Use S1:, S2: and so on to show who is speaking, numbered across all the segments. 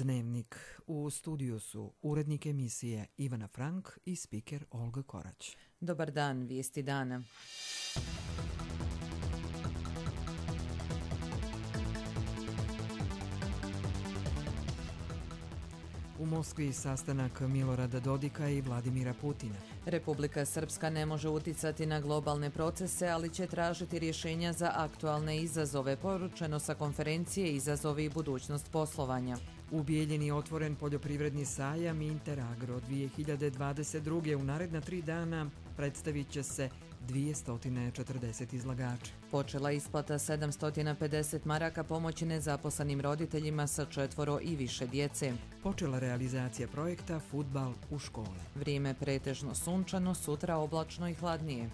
S1: Dnevnik. U studiju su urednik emisije Ivana Frank i spiker Olga Korać.
S2: Dobar dan, vijesti dana.
S1: U Moskvi sastanak Milorada Dodika i Vladimira Putina.
S2: Republika Srpska ne može uticati na globalne procese, ali će tražiti rješenja za aktualne izazove, poručeno sa konferencije Izazovi i budućnost poslovanja.
S1: U Bijeljini otvoren poljoprivredni sajam Interagro 2022. U naredna 3 dana predstavit će se 240 izlagača.
S2: Počela isplata 750 maraka pomoći nezaposlenim roditeljima sa 4 i više djece.
S1: Počela realizacija projekta Fudbal u škole.
S2: Vrijeme pretežno sunčano, sutra oblačno i hladnije.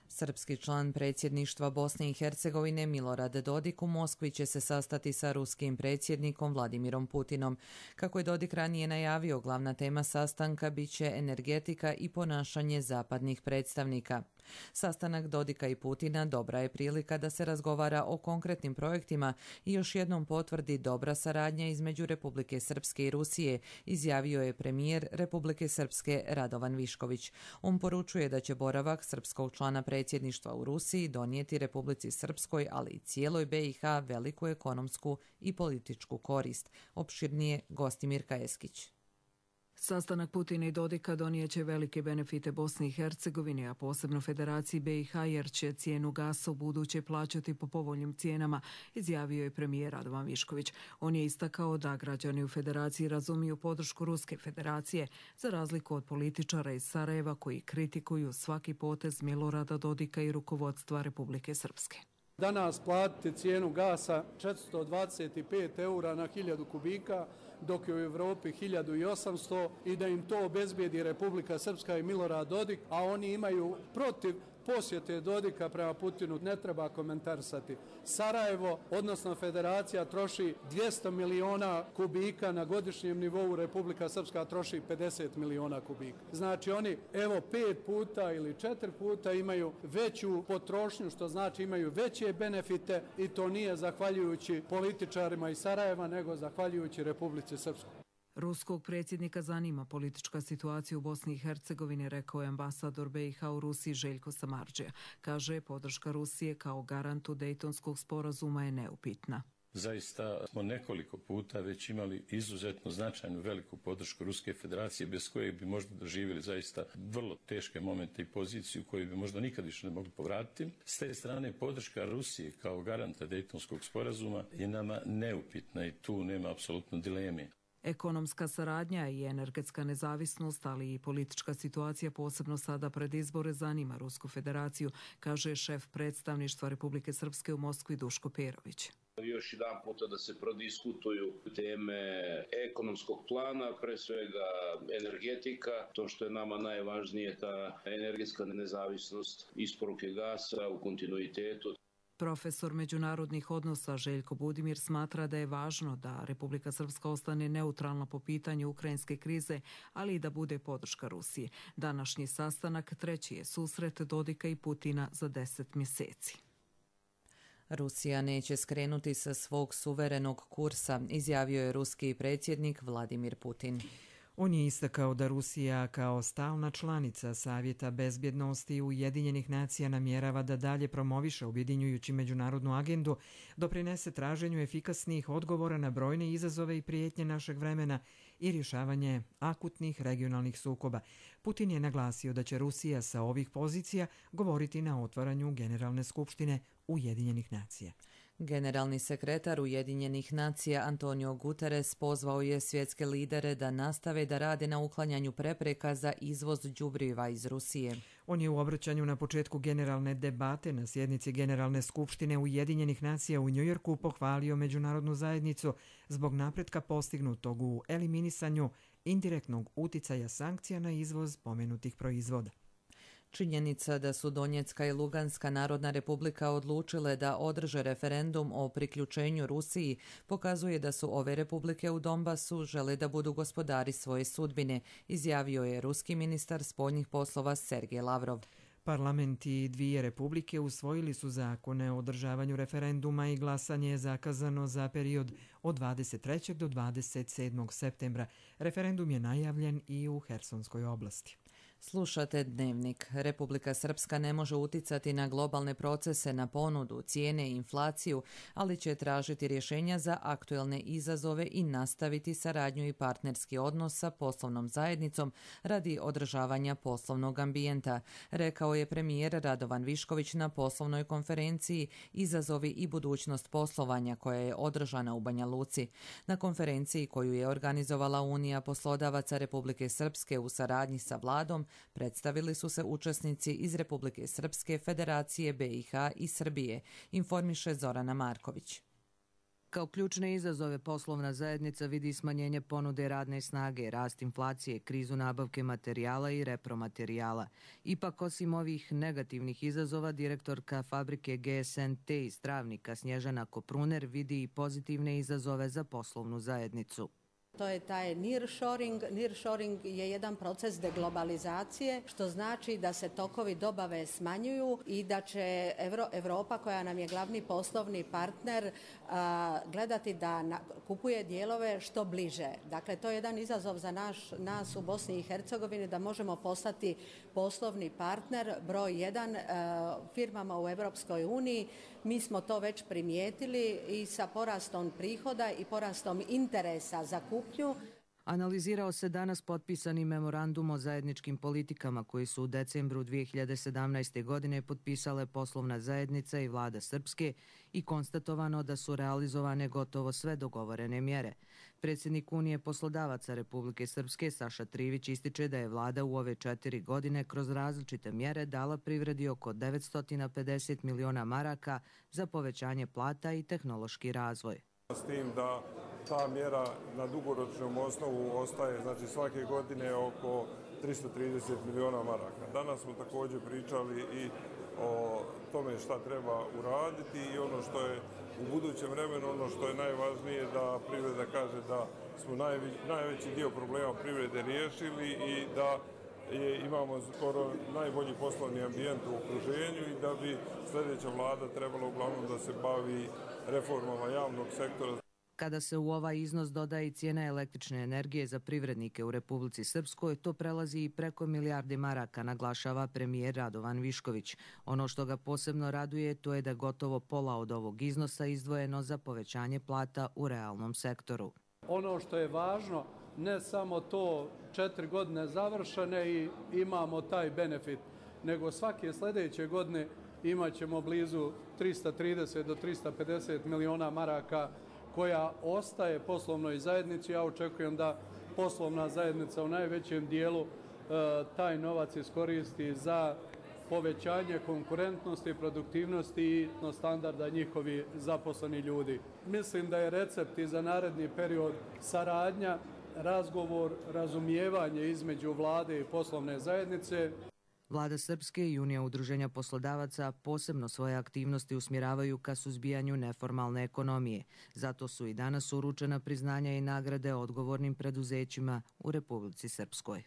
S2: Srpski član predsjedništva Bosne i Hercegovine Milorad Dodik u Moskvi će se sastati sa ruskim predsjednikom Vladimirom Putinom. Kako je Dodik ranije najavio, glavna tema sastanka bit će energetika i ponašanje zapadnih predstavnika. Sastanak Dodika i Putina dobra je prilika da se razgovara o konkretnim projektima i još jednom potvrdi dobra saradnja između Republike Srpske i Rusije, izjavio je premijer Republike Srpske Radovan Višković. On poručuje da će boravak srpskog člana predsjedništva u Rusiji donijeti Republici Srpskoj, ali i cijeloj BiH veliku ekonomsku i političku korist. Opširnije Gostimir Kajeskić.
S3: Sastanak Putina i Dodika donijeće velike benefite Bosni i Hercegovini, a posebno Federaciji BiH, jer će cijenu gasa u buduće plaćati po povoljnim cijenama, izjavio je premijer Radovan Višković. On je istakao da građani u Federaciji razumiju podršku Ruske federacije, za razliku od političara iz Sarajeva koji kritikuju svaki potez Milorada Dodika i rukovodstva Republike Srpske.
S4: Danas platiti cijenu gasa 425 eura na 1000 kubika, dok je u Europi 1800 i da im to obezbijedi Republika Srpska i Milorad Dodik, a oni imaju protiv posjete Dodika prema Putinu, ne treba komentarisati. Sarajevo, odnosno Federacija, troši 200 miliona kubika na godišnjem nivou, Republika Srpska troši 50 miliona kubika. Znači oni, 5 puta ili 4 puta imaju veću potrošnju, što znači imaju veće benefite i to nije zahvaljujući političarima iz Sarajeva, nego zahvaljujući Republici Srpskoj.
S3: Ruskog predsjednika zanima politička situacija u Bosni i Hercegovini, rekao je ambasador BiH u Rusiji Željko Samardžija. Kaže, podrška Rusije kao garantu Dejtonskog sporazuma je neupitna.
S5: Zaista smo nekoliko puta već imali izuzetno značajnu veliku podršku Ruske federacije, bez koje bi možda doživjeli zaista vrlo teške momente i poziciju koju bi možda nikad više ne mogli povratiti. S te strane podrška Rusije kao garanta Dejtonskog sporazuma je nama neupitna i tu nema apsolutno dileme.
S3: Ekonomska saradnja i energetska nezavisnost, ali i politička situacija, posebno sada pred izbore, zanima Rusku federaciju, kaže šef predstavništva Republike Srpske u Moskvi Duško Perović.
S6: Još jedan puta da se prodiskutuju teme ekonomskog plana, pre svega energetika, to što je nama najvažnije, ta energetska nezavisnost isporuke gasa u kontinuitetu.
S3: Profesor međunarodnih odnosa Željko Budimir smatra da je važno da Republika Srpska ostane neutralna po pitanju ukrajinske krize, ali i da bude podrška Rusiji. Današnji sastanak treći je susret Dodika i Putina za 10 mjeseci.
S2: Rusija neće skrenuti sa svog suverenog kursa, izjavio je ruski predsjednik Vladimir Putin.
S1: On je istakao da Rusija kao stalna članica Savjeta bezbjednosti Ujedinjenih nacija namjerava da dalje promoviše objedinjujući međunarodnu agendu, doprinese traženju efikasnih odgovora na brojne izazove i prijetnje našeg vremena i rješavanje akutnih regionalnih sukoba. Putin je naglasio da će Rusija sa ovih pozicija govoriti na otvaranju Generalne skupštine Ujedinjenih nacija.
S2: Generalni sekretar Ujedinjenih nacija Antonio Guterres pozvao je svjetske lidere da nastave da rade na uklanjanju prepreka za izvoz đubriva iz Rusije.
S1: On je u obraćanju na početku generalne debate na sjednici Generalne skupštine Ujedinjenih nacija u Njujorku pohvalio međunarodnu zajednicu zbog napretka postignutog u eliminisanju indirektnog uticaja sankcija na izvoz pomenutih proizvoda.
S2: Činjenica da su Donjecka i Luganska narodna republika odlučile da održe referendum o priključenju Rusiji pokazuje da su ove republike u Donbasu žele da budu gospodari svoje sudbine, izjavio je ruski ministar spoljnih poslova Sergej Lavrov.
S1: Parlamenti dvije republike usvojili su zakone o održavanju referenduma i glasanje je zakazano za period od 23. do 27. septembra. Referendum je najavljen i u Hersonskoj oblasti.
S2: Slušate Dnevnik. Republika Srpska ne može uticati na globalne procese, na ponudu, cijene i inflaciju, ali će tražiti rješenja za aktuelne izazove i nastaviti saradnju i partnerski odnos sa poslovnom zajednicom radi održavanja poslovnog ambijenta, rekao je premijer Radovan Višković na poslovnoj konferenciji Izazovi i budućnost poslovanja koja je održana u Banja Luci. Na konferenciji koju je organizovala Unija poslodavaca Republike Srpske u saradnji sa vladom, predstavili su se učesnici iz Republike Srpske, Federacije BiH i Srbije, informiše Zorana Marković.
S7: Kao ključne izazove poslovna zajednica vidi smanjenje ponude radne snage, rast inflacije, krizu nabavke materijala i repromaterijala. Ipak, osim ovih negativnih izazova, direktorka fabrike GSNT iz Travnika Snježana Kopruner vidi i pozitivne izazove za poslovnu zajednicu.
S8: To je taj nearshoring. Nearshoring je jedan proces deglobalizacije, što znači da se tokovi dobave smanjuju i da će Europa, koja nam je glavni poslovni partner, gledati da kupuje dijelove što bliže. Dakle, to je jedan izazov za nas u Bosni i Hercegovini, da možemo postati poslovni partner broj 1 firmama u Europskoj uniji. Mi smo to već primijetili i sa porastom prihoda i porastom interesa za kupnju.
S7: Analizirao se danas potpisani memorandum o zajedničkim politikama koji su u decembru 2017. godine potpisale poslovna zajednica i vlada Srpske i konstatovano da su realizovane gotovo sve dogovorene mjere. Predsjednik Unije poslodavaca Republike Srpske Saša Trivić ističe da je vlada u ove 4 godine kroz različite mjere dala privredi oko 950 miliona maraka za povećanje plata i tehnološki razvoj.
S9: S tim da ta mjera na dugoročnom osnovu ostaje, znači svake godine oko 330 miliona maraka. Danas smo također pričali i o tome šta treba uraditi i ono što je u budućem vremenu, ono što je najvažnije da privreda kaže da smo najveći dio problema privrede riješili i da imamo skoro najbolji poslovni ambijent u okruženju i da bi sljedeća vlada trebala uglavnom da se bavi reformama javnog sektora.
S7: Kada se u ovaj iznos doda i cijena električne energije za privrednike u Republici Srpskoj, to prelazi i preko milijarde maraka, naglašava premijer Radovan Višković. Ono što ga posebno raduje to je da gotovo pola od ovog iznosa izdvojeno za povećanje plata u realnom sektoru.
S4: Ono što je važno, ne samo to 4 godine završene i imamo taj benefit, nego svake sljedeće godine imat ćemo blizu 330 do 350 miliona maraka koja ostaje poslovnoj zajednici. Ja očekujem da poslovna zajednica u najvećem dijelu taj novac iskoristi za povećanje konkurentnosti, produktivnosti i standarda njihovi zaposleni ljudi. Mislim da je recept i za naredni period saradnja, razgovor, razumijevanje između vlade i poslovne zajednice.
S7: Vlada Srpske i Unija udruženja poslodavaca posebno svoje aktivnosti usmjeravaju ka suzbijanju neformalne ekonomije. Zato su i danas uručena priznanja i nagrade odgovornim preduzećima u Republici Srpskoj.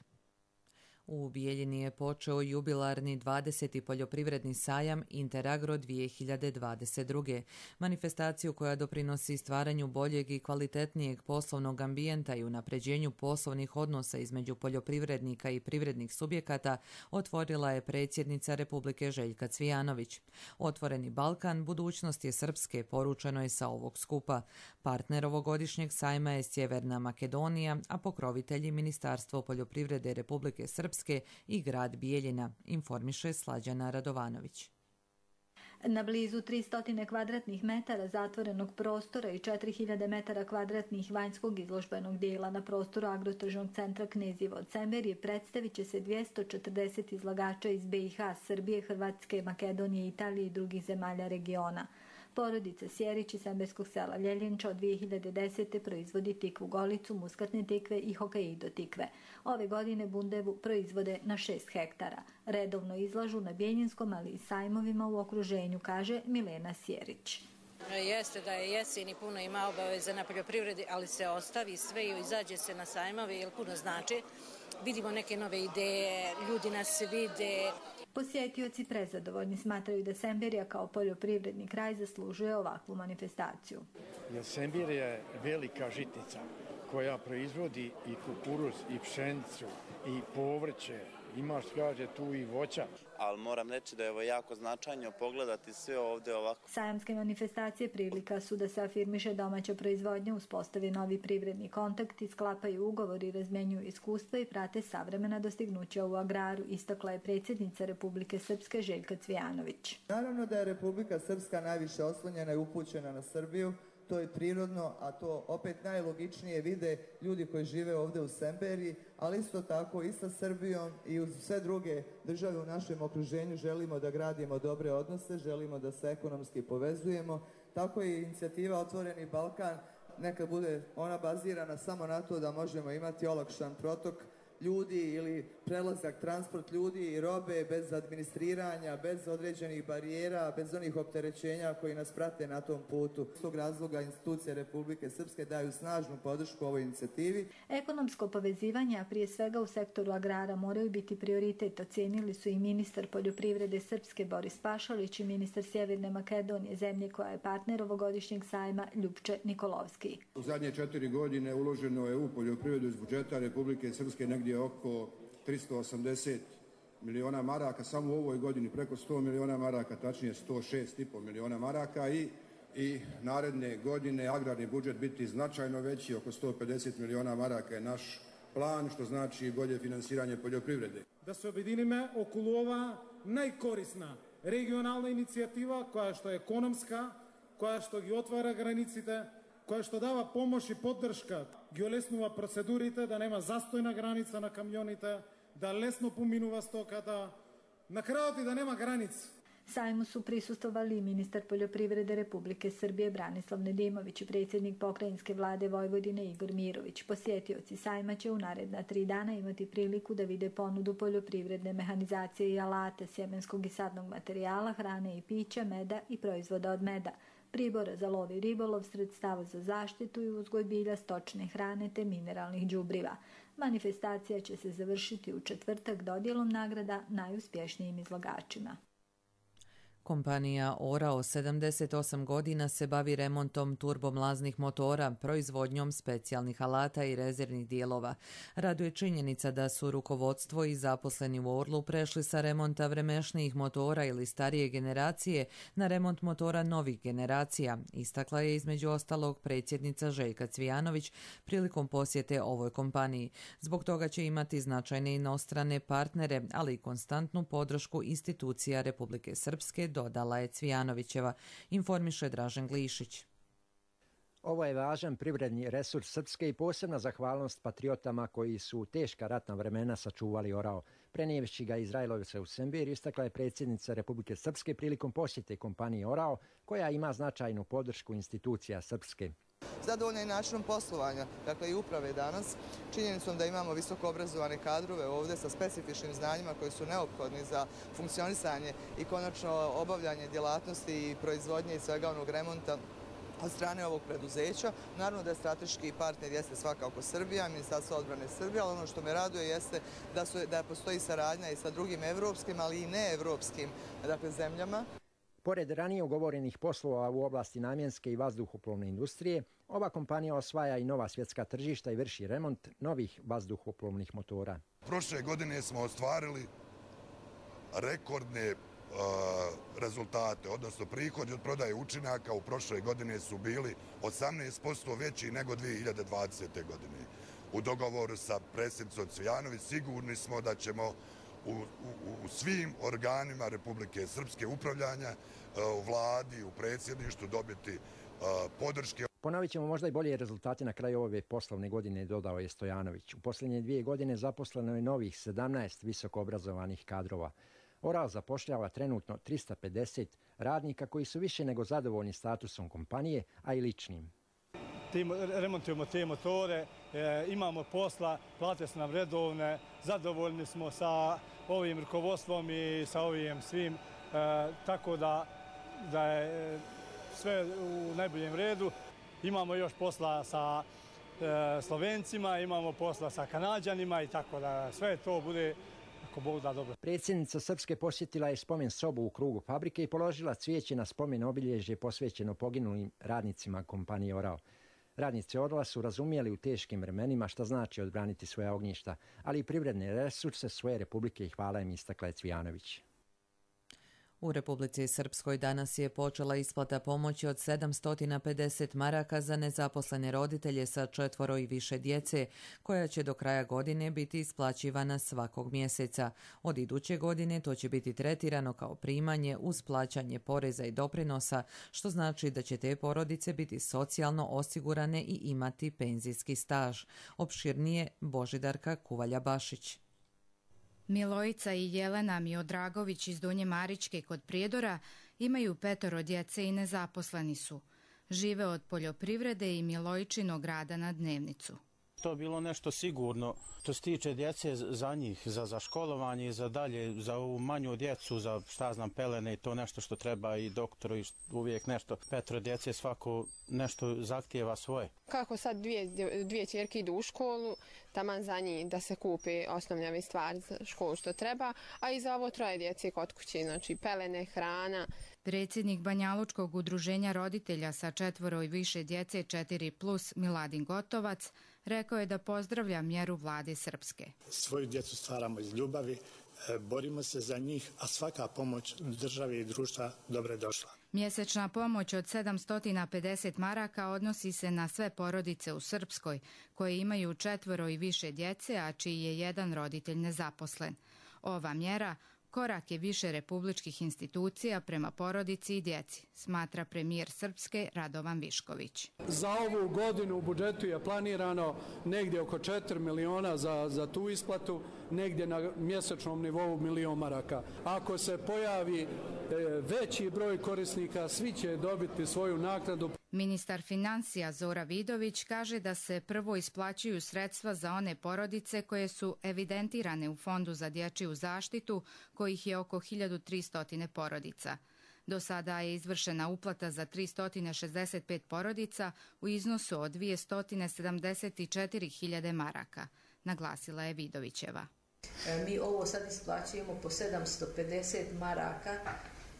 S2: U Bijeljini je počeo jubilarni 20. poljoprivredni sajam Interagro 2022. Manifestaciju koja doprinosi stvaranju boljeg i kvalitetnijeg poslovnog ambijenta i unapređenju poslovnih odnosa između poljoprivrednika i privrednih subjekata otvorila je predsjednica Republike Željka Cvijanović. Otvoreni Balkan, budućnost je Srpske, poručeno je sa ovog skupa. Partner ovogodišnjeg sajma je Sjeverna Makedonija, a pokrovitelji Ministarstvo poljoprivrede Republike Srpske i grad Bijeljina, informiše Slađana Radovanović.
S10: Na blizu 300 kvadratnih metara zatvorenog prostora i 4000 metara kvadratnih vanjskog izložbenog dijela na prostoru agrotržnog centra Kneževo Cemberije predstavit će se 240 izlagača iz BiH, Srbije, Hrvatske, Makedonije, Italije i drugih zemalja regiona. Porodica Sjerić iz semberskog sela Ljeljenča od 2010. proizvodi tikvu golicu, muskatne tikve i hokaido tikve. Ove godine bundevu proizvode na 6 hektara. Redovno izlažu na Bijeljinskom, ali i sajmovima u okruženju, kaže Milena Sjerić.
S11: Jeste da je jesen i puno ima obaveza na poljoprivredi, ali se ostavi sve i izađe se na sajmove jer puno znači. Vidimo neke nove ideje, ljudi nas vide,
S10: Posjetioci prezadovoljni smatraju da Semberija kao poljoprivredni kraj zaslužuje ovakvu manifestaciju.
S12: Semberija je velika žitnica koja proizvodi i kukuruz, i pšenicu, i povrće. Imaš, kaže, tu i voća.
S13: Ali moram reći da je ovo jako značajno pogledati sve ovdje ovako.
S10: Sajamske manifestacije prilika su da se afirmiše domaća proizvodnja, uspostavi novi privredni kontakti, sklapaju ugovori, razmjenjuju iskustva i prate savremena dostignuća u agraru, istakla je predsjednica Republike Srpske Željka Cvijanović.
S14: Naravno da je Republika Srpska najviše oslonjena i upućena na Srbiju. To je prirodno, a to opet najlogičnije vide ljudi koji žive ovdje u Semberiji, ali isto tako i sa Srbijom i uz sve druge države u našem okruženju želimo da gradimo dobre odnose, želimo da se ekonomski povezujemo. Tako je inicijativa Otvoreni Balkan, neka bude ona bazirana samo na to da možemo imati olakšan protok ljudi ili prelazak, transport ljudi i robe bez administriranja, bez određenih barijera, bez onih opterećenja koji nas prate na tom putu. Iz tog razloga institucije Republike Srpske daju snažnu podršku ovoj inicijativi.
S10: Ekonomsko povezivanje, a prije svega u sektoru agrara, moraju biti prioritet, ocenili su i ministar poljoprivrede Srpske Boris Pašalić i ministar Sjeverne Makedonije, zemlje koja je partner ovogodišnjeg sajma, Ljupče Nikolovski.
S15: U zadnje 4 godine uloženo je u poljoprivredu iz budžeta Republike Srpske negdje oko 380 miliona maraka, samo u ovoj godini preko 100 miliona maraka, tačnije 106,5 miliona maraka i naredne godine agrarni budžet biti značajno veći, oko 150 miliona maraka je naš plan, što znači bolje finansiranje poljoprivrede.
S16: Da se objedinime okolo ova najkorisna regionalna inicijativa koja što je ekonomska, koja što gi otvara granicite, koja što dava pomoć i podrška, gi olesnuva procedurite, da nema zastojna granica na kamionite, da lesno pominuva stokata, na kraju da nema granic.
S10: Sajmu su prisustvovali i ministar poljoprivrede Republike Srbije Branislav Nedimović i predsjednik pokrajinske vlade Vojvodine Igor Mirović. Posjetioci sajma će u naredna 3 dana imati priliku da vide ponudu poljoprivredne mehanizacije i alate, sjemenskog i sadnog materijala, hrane i pića, meda i proizvoda od meda, pribora za lov i ribolov, sredstava za zaštitu i uzgoj bilja, stočne hrane te mineralnih đubriva. Manifestacija će se završiti u četvrtak dodjelom nagrada najuspješnijim izlagačima.
S2: Kompanija Orao 78 godina se bavi remontom turbomlaznih motora, proizvodnjom specijalnih alata i rezervnih dijelova. Raduje činjenica da su rukovodstvo i zaposleni u Orlu prešli sa remonta vremešnijih motora ili starije generacije na remont motora novih generacija, istakla je između ostalog predsjednica Željka Cvijanović prilikom posjete ovoj kompaniji. Zbog toga će imati značajne inostrane partnere, ali i konstantnu podršku institucija Republike Srpske, dodala je Cvijanovićeva, informiše Dražen Glišić.
S17: Ovo je važan privredni resurs Srpske i posebna zahvalnost patriotama koji su u teška ratna vremena sačuvali Orao. Prenijevši ga Izraelovice u Semberiju, istakla je predsjednica Republike Srpske prilikom posjete kompanije Orao, koja ima značajnu podršku institucija Srpske.
S14: Zadovoljna je načinom poslovanja, dakle i uprave danas, činjenicom da imamo visoko obrazovane kadrove ovdje sa specifičnim znanjima koji su neophodni za funkcionisanje i konačno obavljanje djelatnosti i proizvodnje i svega onog remonta od strane ovog preduzeća. Naravno da je strateški partner jeste svakako Srbija, Ministarstvo odbrane Srbije, ali ono što me raduje jeste da postoji saradnja i sa drugim evropskim, ali i neevropskim zemljama.
S17: Pored ranije ugovorenih poslova u oblasti namjenske i vazduhoplovne industrije, ova kompanija osvaja i nova svjetska tržišta i vrši remont novih vazduhoplovnih motora.
S18: Prošle godine smo ostvarili rekordne rezultate, odnosno prihodi od prodaje učinaka u prošle godine su bili 18% veći nego 2020. godine. U dogovoru sa predsjednicom Cvijanović sigurni smo da ćemo u svim organima Republike Srpske upravljanja, u vladi, u predsjedništvu dobiti podrške.
S17: Ponovit ćemo možda i bolje rezultate na kraju ove poslovne godine, dodao je Stojanović. U posljednje 2 godine zaposleno je novih 17 visoko obrazovanih kadrova. Orao zapošljava trenutno 350 radnika koji su više nego zadovoljni statusom kompanije, a i ličnim.
S19: Remontujemo te motore, imamo posla, plate su nam redovne, zadovoljni smo sa ovim rukovodstvom i sa ovim svim, tako da je sve u najboljem redu. Imamo još posla sa Slovencima, imamo posla sa Kanađanima i tako da sve to bude ako Bog da dobro.
S17: Predsjednica Srpske posjetila je spomen sobu u krugu fabrike i položila cvijeće na spomen obilježje posvećeno poginulim radnicima kompanije Orao. Radnici Orla su razumjeli u teškim vremenima šta znači odbraniti svoja ognjišta, ali i privredne resurse svoje republike i hvala im, istakla je Cvijanović.
S2: U Republici Srpskoj danas je počela isplata pomoći od 750 maraka za nezaposlene roditelje sa 4 i više djece, koja će do kraja godine biti isplaćivana svakog mjeseca. Od iduće godine to će biti tretirano kao primanje uz plaćanje poreza i doprinosa, što znači da će te porodice biti socijalno osigurane i imati penzijski staž. Opširnije Božidarka Kuvalja-Bašić.
S20: Milojica i Jelena Miodragović iz Donje Maričke kod Prijedora imaju 5 djece i nezaposleni su. Žive od poljoprivrede i Milojičinog rada na dnevnicu.
S21: To je bilo nešto sigurno što se tiče djece za njih, za školovanje i za dalje, za ovu manju djecu, za šta znam pelene i to nešto što treba i doktoru i uvijek nešto. 5 djece svako nešto zahtijeva svoje.
S22: Kako sad dvije ćerke idu u školu, taman za njih da se kupe osnovne stvari za školu što treba, a i za ovo 3 djece kod kuće, znači pelene, hrana.
S20: Predsjednik Banjalučkog udruženja roditelja sa 4 i više djece 4+, Miladin Gotovac, rekao je da pozdravlja mjeru vlade Srpske.
S23: Svoju djecu stvaramo iz ljubavi, borimo se za njih, a svaka pomoć države i društva dobro je došla.
S20: Mjesečna pomoć od 750 maraka odnosi se na sve porodice u Srpskoj koje imaju 4 i više djece, a čiji je jedan roditelj nezaposlen. Ova mjera korak je više republičkih institucija prema porodici i djeci, smatra premijer Srpske Radovan Višković.
S4: Za ovu godinu u budžetu je planirano negdje oko 4 miliona za tu isplatu, negdje na mjesečnom nivou 1 milion maraka. Ako se pojavi veći broj korisnika, svi će dobiti svoju naknadu.
S20: Ministar financija Zora Vidović kaže da se prvo isplaćuju sredstva za one porodice koje su evidentirane u Fondu za dječju zaštitu, kojih je oko 1300 porodica. Do sada je izvršena uplata za 365 porodica u iznosu od 274.000 maraka, naglasila je Vidovićeva.
S24: Mi ovo sad isplaćujemo po 750 maraka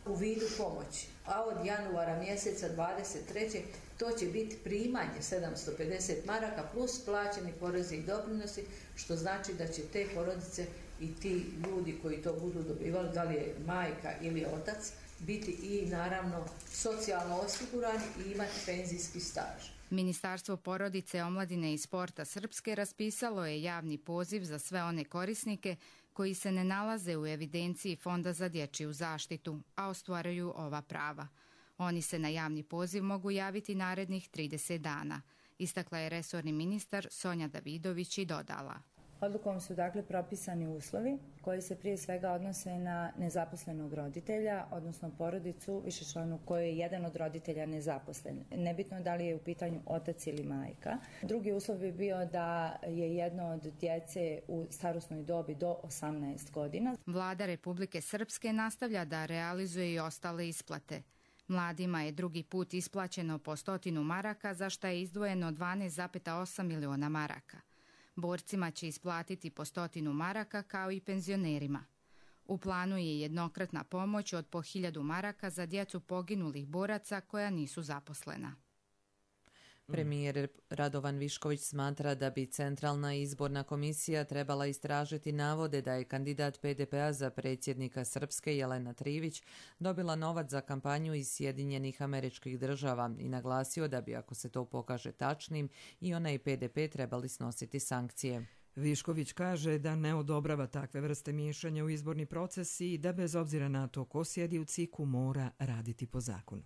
S24: u vidu pomoći, a od januara mjeseca 23. to će biti primanje 750 maraka plus plaćeni porezi i doprinosi, što znači da će te porodice i ti ljudi koji to budu dobivali, da li je majka ili otac, biti i naravno socijalno osigurani i imati penzijski staž.
S20: Ministarstvo porodice, omladine i sporta Srpske raspisalo je javni poziv za sve one korisnike koji se ne nalaze u evidenciji Fonda za dječju zaštitu, a ostvaruju ova prava. Oni se na javni poziv mogu javiti narednih 30 dana, istakla je resorni ministar Sonja Davidović i dodala.
S25: Odlukom su dakle propisani uslovi koji se prije svega odnose na nezaposlenog roditelja, odnosno porodicu višečlanu kojoj je jedan od roditelja nezaposlen. Nebitno da li je u pitanju otac ili majka. Drugi uslov bi bio da je jedno od djece u starosnoj dobi do 18 godina.
S20: Vlada Republike Srpske nastavlja da realizuje i ostale isplate. Mladima je drugi put isplaćeno po 100 maraka, za što je izdvojeno 12,8 miliona maraka. Borcima će isplatiti po 100 maraka kao i penzionerima. U planu je jednokratna pomoć od po 1000 maraka za djecu poginulih boraca koja nisu zaposlena.
S2: Premijer Radovan Višković smatra da bi Centralna izborna komisija trebala istražiti navode da je kandidat PDP-a za predsjednika Srpske Jelena Trivić dobila novac za kampanju iz Sjedinjenih Američkih Država i naglasio da bi, ako se to pokaže tačnim, i ona i PDP trebali snositi sankcije.
S1: Višković kaže da ne odobrava takve vrste miješanja u izborni proces i da bez obzira na to ko sjedi u CIK-u mora raditi po zakonu.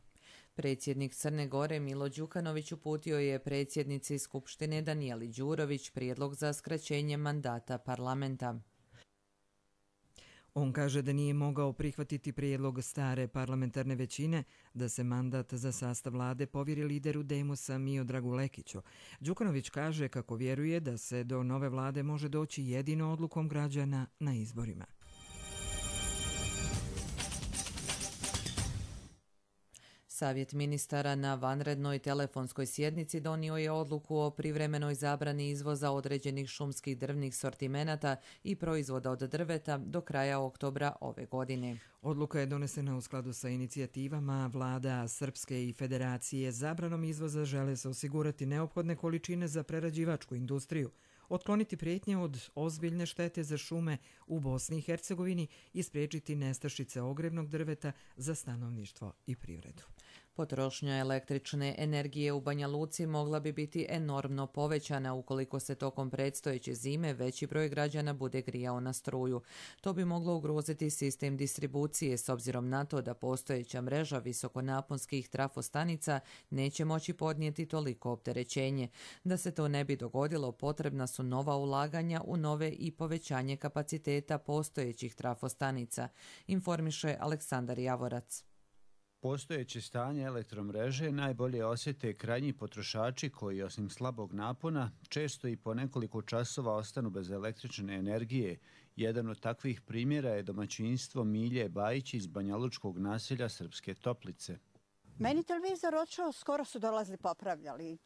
S2: Predsjednik Crne Gore Milo Đukanović uputio je predsjednici Skupštine Danijeli Đurović prijedlog za skraćenje mandata parlamenta.
S1: On kaže da nije mogao prihvatiti prijedlog stare parlamentarne većine da se mandat za sastav vlade povjeri lideru Demosa Miodragu Lekiću. Đukanović kaže kako vjeruje da se do nove vlade može doći jedino odlukom građana na izborima.
S2: Savjet ministara na vanrednoj telefonskoj sjednici donio je odluku o privremenoj zabrani izvoza određenih šumskih drvnih sortimenata i proizvoda od drveta do kraja oktobra ove godine.
S1: Odluka je donesena u skladu sa inicijativama vlada Srpske i Federacije. Zabranom izvoza žele se osigurati neophodne količine za prerađivačku industriju, otkloniti prijetnje od ozbiljne štete za šume u Bosni i Hercegovini i spriječiti nestašice ogrevnog drveta za stanovništvo i privredu.
S2: Potrošnja električne energije u Banja Luci mogla bi biti enormno povećana ukoliko se tokom predstojeće zime veći broj građana bude grijao na struju. To bi moglo ugroziti sistem distribucije s obzirom na to da postojeća mreža visokonaponskih trafostanica neće moći podnijeti toliko opterećenje. Da se to ne bi dogodilo, potrebna su nova ulaganja u nove i povećanje kapaciteta postojećih trafostanica, informiše Aleksandar Javorac.
S3: Postojeće stanje elektromreže najbolje osjete krajnji potrošači koji, osim slabog napona, često i po nekoliko časova ostanu bez električne energije. Jedan od takvih primjera je domaćinstvo Milje Bajić iz banjalučkog naselja Srpske Toplice.
S5: Meni televizor odšao, skoro su dolazili popravljali.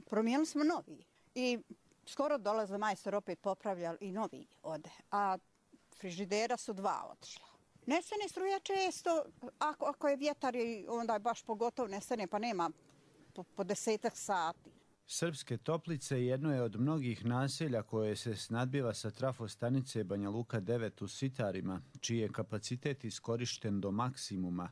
S5: Promijenili smo novi i skoro dolaze majstor opet popravljali i novi ode. A frižidera su 2 otišla. Nestane struja često, ako je vjetar, onda je baš pogotovo nestane, pa nema po 10 sati.
S3: Srpske Toplice jedno je od mnogih naselja koje se snadbiva sa trafostanice Banja Luka 9 u Sitarima, čiji je kapacitet iskorišten do maksimuma.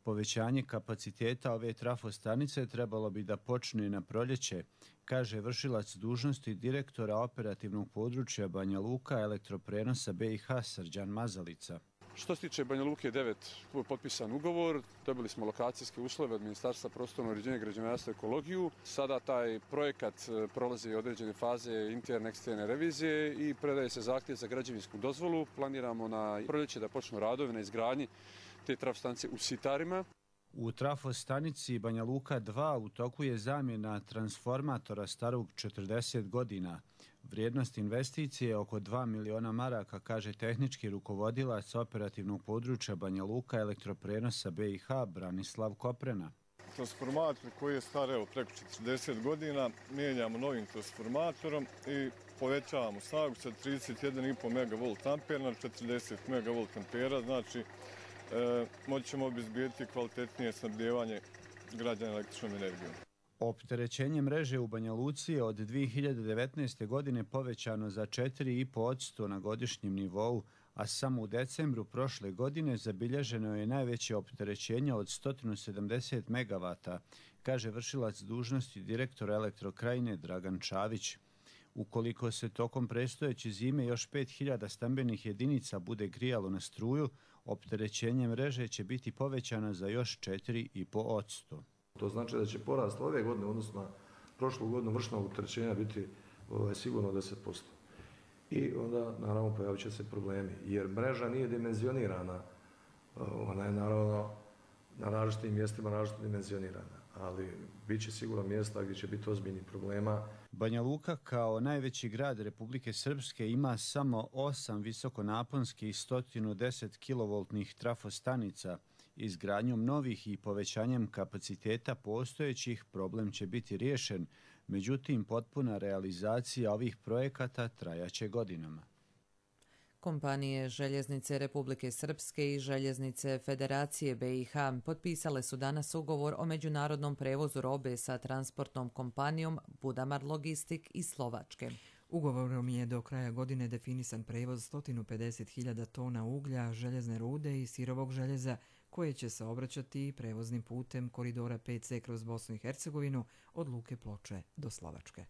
S3: Povećanje kapaciteta ove trafostanice trebalo bi da počne na proljeće, kaže vršilac dužnosti direktora operativnog područja Banja Luka elektroprenosa BiH Srđan Mazalica.
S6: Što se tiče Banja Luke 9, tu je potpisan ugovor, dobili smo lokacijske uslove od Ministarstva prostornog uređenja, građevinarstva i ekologiju. Sada taj projekat prolazi određene faze interne, eksterne revizije i predaje se zahtjev za građevinsku dozvolu. Planiramo na proljeće da počnu radovi na izgradnji te trafostanice u Sitarima.
S3: U trafostanici Banja Luka 2 u toku je zamjena transformatora starog 40 godina. Vrijednost investicije je oko 2 miliona maraka, kaže tehnički rukovodilac operativnog područja Banja Luka elektroprenosa BiH Branislav Koprena.
S8: Transformator koji je star preko 40 godina mijenjamo novim transformatorom i povećavamo snagu sa 31,5 MV ampera na 40 MV ampera, znači moći ćemo obezbijeti kvalitetnije snabdijevanje građana električnom energijom.
S3: Opterećenje mreže u Banja Luci je od 2019. godine povećano za 4,5% na godišnjem nivou, a samo u decembru prošle godine zabilježeno je najveće opterećenje od 170 MW, kaže vršilac dužnosti direktora Elektrokrajine Dragan Čavić. Ukoliko se tokom predstojeće zime još 5000 stambenih jedinica bude grijalo na struju, opterećenje mreže će biti povećano za još 4,5%.
S9: To znači da će porast ove godine, odnosno na prošlu godinu vršnog opterećenja biti sigurno 10%. I onda naravno pojavit će se problemi, jer mreža nije dimenzionirana, ona je naravno na različitim mjestima različito dimenzionirana, ali bit će sigurno mjesta gdje će biti ozbiljnih problema.
S3: Banja Luka kao najveći grad Republike Srpske ima samo 8 visokonaponskih 110 kV trafostanica. Izgradnjom novih i povećanjem kapaciteta postojećih problem će biti riješen, međutim potpuna realizacija ovih projekata trajaće godinama.
S2: Kompanije Željeznice Republike Srpske i Željeznice Federacije BiH potpisale su danas ugovor o međunarodnom prevozu robe sa transportnom kompanijom Budamar Logistik iz Slovačke.
S1: Ugovorom je do kraja godine definisan prevoz 150.000 tona uglja, željezne rude i sirovog željeza koje će se obraćati prevoznim putem koridora 5C kroz Bosnu i Hercegovinu od Luke Ploče do Slovačke.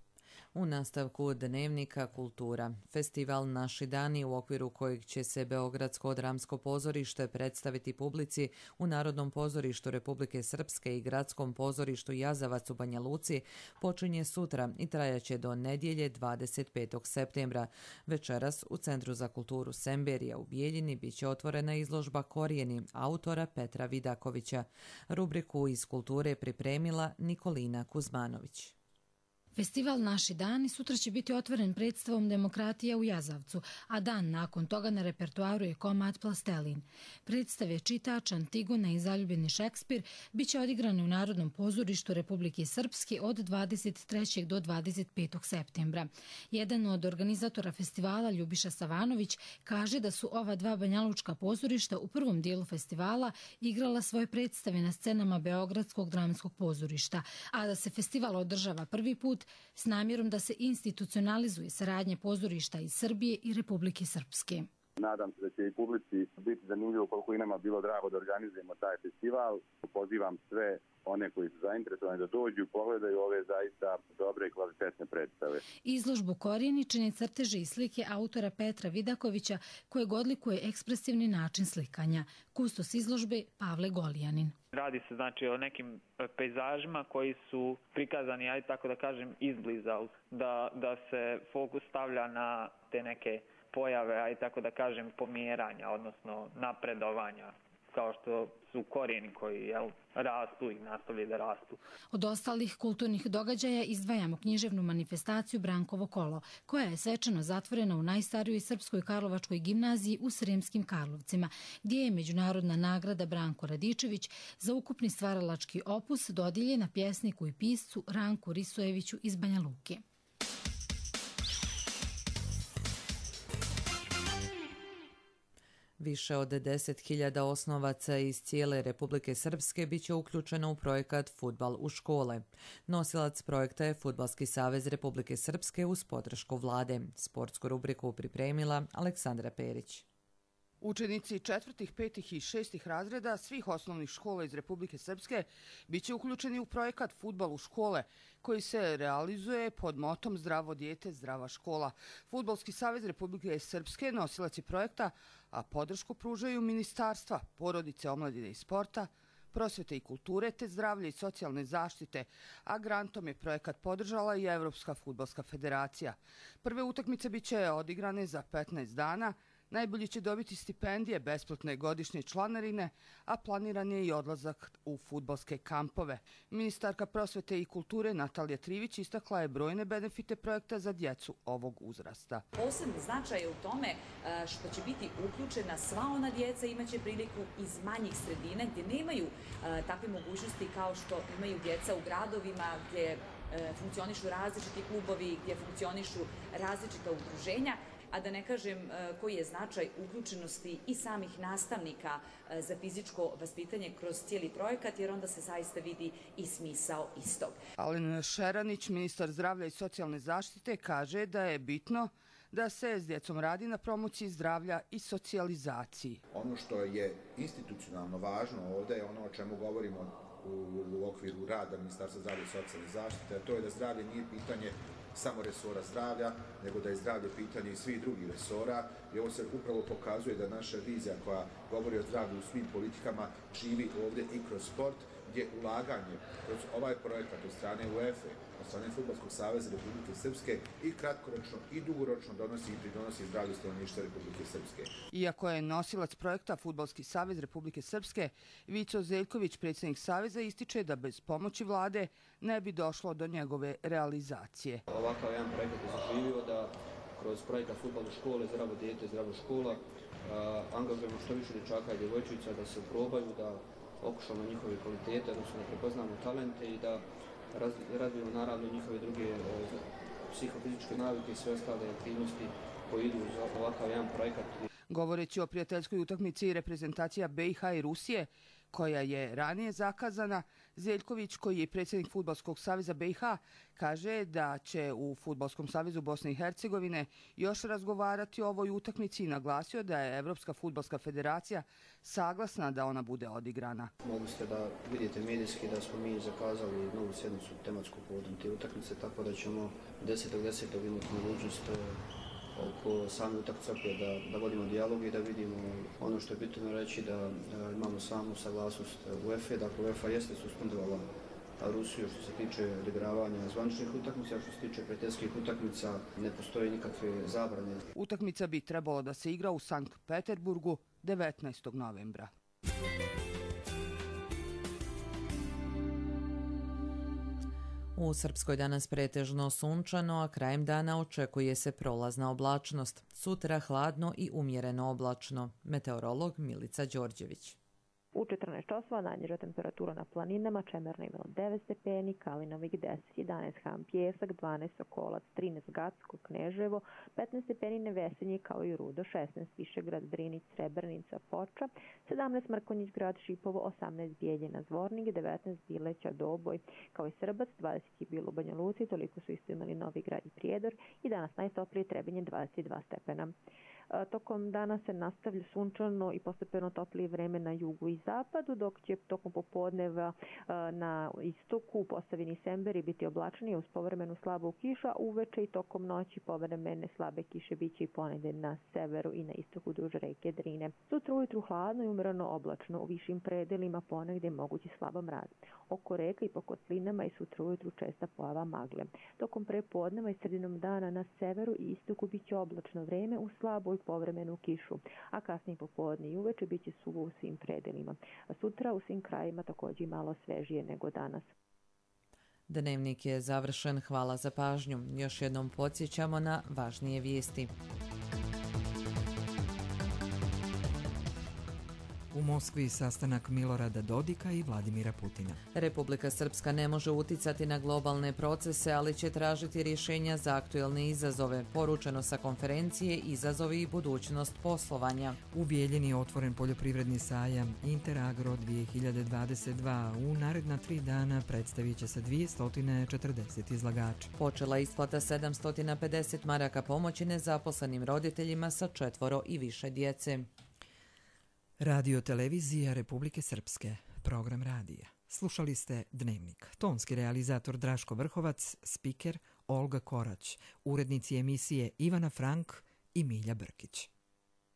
S2: U nastavku Dnevnika kultura. Festival Naši dani, u okviru kojeg će se Beogradsko dramsko pozorište predstaviti publici u Narodnom pozorištu Republike Srpske i Gradskom pozorištu Jazavac u Banja Luci, počinje sutra i trajaće do nedjelje 25. septembra. Večeras u Centru za kulturu Semberija u Bijeljini biće otvorena izložba Korijeni autora Petra Vidakovića. Rubriku iz kulture pripremila Nikolina Kuzmanović.
S7: Festival Naši dani sutra će biti otvoren predstavom Demokratija u Jazavcu, a dan nakon toga na repertoaru je komad Plastelin. Predstave čitač, Antigona i Zaljubljeni Šekspir biće odigrane u Narodnom pozorištu Republike Srpske od 23. do 25. septembra. Jedan od organizatora festivala, Ljubiša Savanović, kaže da su ova dva banjalučka pozorišta u prvom dijelu festivala igrala svoje predstave na scenama Beogradskog dramskog pozorišta, a da se festival održava prvi put s namjerom da se institucionalizuje saradnja pozorišta iz Srbije i Republike Srpske.
S11: Nadam se da će i publici biti zanimljivo koliko i nama bilo drago da organizujemo taj festival. Pozivam sve one koji su zainteresovani da dođu i pogledaju ove zaista dobre i kvalitetne predstave.
S7: Izložbu Korijeni čine crteže i slike autora Petra Vidakovića kojeg odlikuje ekspresivni način slikanja. Kustos izložbe Pavle Golijanin.
S12: Radi se znači o nekim pejzažima koji su prikazani, ajde tako da kažem, izbliza, da se fokus stavlja na te neke pojave, ajde tako da kažem, pomjeranja, odnosno napredovanja, kao što su korijeni koji rastu i nastavljaju da rastu.
S7: Od ostalih kulturnih događaja izdvajamo književnu manifestaciju Brankovo kolo, koja je svečano zatvorena u najstarijoj srpskoj karlovačkoj gimnaziji u Sremskim Karlovcima, gdje je međunarodna nagrada Branko Radičević za ukupni stvaralački opus dodijeljena pjesniku i piscu Ranku Risojeviću iz Banja Luke.
S2: Više od 10.000 osnovaca iz cijele Republike Srpske biće uključeno u projekat Fudbal u škole. Nosilac projekta je Fudbalski savez Republike Srpske uz podršku vlade. Sportsku rubriku pripremila Aleksandra Perić.
S13: Učenici 4., 5. i 6. razreda svih osnovnih škola iz Republike Srpske biće uključeni u projekat Fudbal u škole, koji se realizuje pod motom Zdravo dijete, zdrava škola. Fudbalski savez Republike Srpske nosilac je projekta, a podršku pružaju ministarstva, porodice, omladine i sporta, prosvete i kulture te zdravlje i socijalne zaštite, a grantom je projekat podržala i Evropska fudbalska federacija. Prve utakmice biće odigrane za 15 dana. Najbolji će dobiti stipendije, besplatne godišnje članarine, a planiran je i odlazak u fudbalske kampove. Ministarka prosvete i kulture Natalija Trivić istakla je brojne benefite projekta za djecu ovog uzrasta.
S15: Posebni značaj je u tome što će biti uključena sva ona djeca, imaće priliku iz manjih sredina gdje nemaju takve mogućnosti kao što imaju djeca u gradovima gdje funkcionišu različiti klubovi, gdje funkcionišu različita udruženja. A da ne kažem koji je značaj uključenosti i samih nastavnika za fizičko vaspitanje kroz cijeli projekat, jer onda se zaista vidi i smisao istog.
S13: Alen Šeranić, ministar zdravlja i socijalne zaštite, kaže da je bitno da se s djecom radi na promociji zdravlja i socijalizaciji.
S26: Ono što je institucionalno važno ovdje je ono o čemu govorimo u okviru rada Ministarstva zdravlja i socijalne zaštite, a to je da zdravlje nije pitanje samo resora zdravlja, nego da je zdravlje pitanje i svih drugih resora. I ovo se upravo pokazuje da naša vizija koja govori o zdravlju u svim politikama živi ovdje i kroz sport, gdje ulaganje kroz ovaj projekat od strane UEFA, od strane Fudbalskog saveza Republike Srpske i kratkoročno i dugoročno donosi i pridonosi zdravlju stanovništva Republike Srpske.
S13: Iako je nosilac projekta Fudbalski savez Republike Srpske, Vico Zeljković, predsjednik saveza, ističe da bez pomoći vlade ne bi došlo do njegove realizacije.
S27: Ovakav jedan projekat je zaživio da kroz projekat Fudbal u škole, zdravo dijete, zdrava škola, angažujemo što više dječaka i djevojčica da se probaju, da okušamo njihove kvalitete, odnosno da prepoznamo talente i da razvijemo naravno njihove druge psihofizičke navike i sve ostale aktivnosti koje idu uz ovakav jedan projekat.
S13: Govoreći o prijateljskoj utakmici reprezentacija BiH i Rusije, koja je ranije zakazana, Zeljković, koji je predsjednik Fudbalskog saveza BiH, kaže da će u Fudbalskom savezu Bosne i Hercegovine još razgovarati o ovoj utakmici i naglasio da je Evropska fudbalska federacija saglasna da ona bude odigrana.
S27: Mogli ste da vidite medijski da smo mi zakazali novu sjednicu tematsku povodom te utakmice, tako da ćemo 10.10. imati mogućnost oko same utakmice da vodimo dijalog i da vidimo ono što je bitno reći, da imamo samu saglasnost UEFA. Dakle, UEFA jeste suspendovala Rusiju što se tiče odigravanja zvaničnih utakmica, a što se tiče prijateljskih utakmica ne postoje nikakve zabrane.
S13: Utakmica bi trebalo da se igra u Sankt Peterburgu 19. novembra.
S2: U Srpskoj danas pretežno sunčano, a krajem dana očekuje se prolazna oblačnost. Sutra hladno i umjereno oblačno. Meteorolog Milica Đorđević.
S10: U 14 časova najniža temperatura na planinama, Čemerna imala 9 stepeni, Kalinovik 10, 11 Ham Pjesak, 12 Sokolac, 13 Gacko, Kneževo, 15 stepeni Nevesenje kao i Rudo, 16 Višegrad, Drinić, Srebrnica, Foča, 17 Mrkonjić grad Šipovo, 18 Bijeljina, Zvornik, 19 Bileća, Doboj, kao i Srbac, 20 je bilo u Banja Luci, toliko su isto imali Novi Grad i Prijedor i danas najtoplije Trebinje 22 stepena. Tokom dana se nastavlja sunčano i postepeno toplije vreme na jugu i zapadu, dok će tokom popodneva na istoku u Posavini Semberi biti oblačnije uz povremenu slabu kiša, uveče i tokom noći povremene slabe kiše biće i ponegde na severu i na istoku duž reke Drine. Sutra ujutru hladno i umjereno oblačno, u višim predelima ponegde mogući slaba mraz. Oko reka i po kotlinama i sutra ujutru česta pojava magle. Tokom prepodneva i sredinom dana na severu i istoku biće oblačno vreme uz slabu i povremenu kišu, a kasnije popodne i uveče biće suvo u svim predelima. A sutra u svim krajima također malo svežije nego danas.
S2: Dnevnik je završen. Hvala za pažnju. Još jednom podsjećamo na važnije vijesti.
S1: U Moskvi sastanak Milorada Dodika i Vladimira Putina.
S2: Republika Srpska ne može uticati na globalne procese, ali će tražiti rješenja za aktuelne izazove. Poručeno sa konferencije Izazovi i budućnost poslovanja.
S1: U Bijeljini je otvoren poljoprivredni sajam Interagro 2022. U naredna 3 dana predstavit će se 240 izlagača.
S2: Počela isplata 750 maraka pomoći nezaposlenim roditeljima sa 4 i više djece.
S1: Radio televizija Republike Srpske, program radija. Slušali ste Dnevnik. Tonski realizator Draško Vrhovac, spiker Olga Korać, urednici emisije Ivana Frank i Milja Brkić.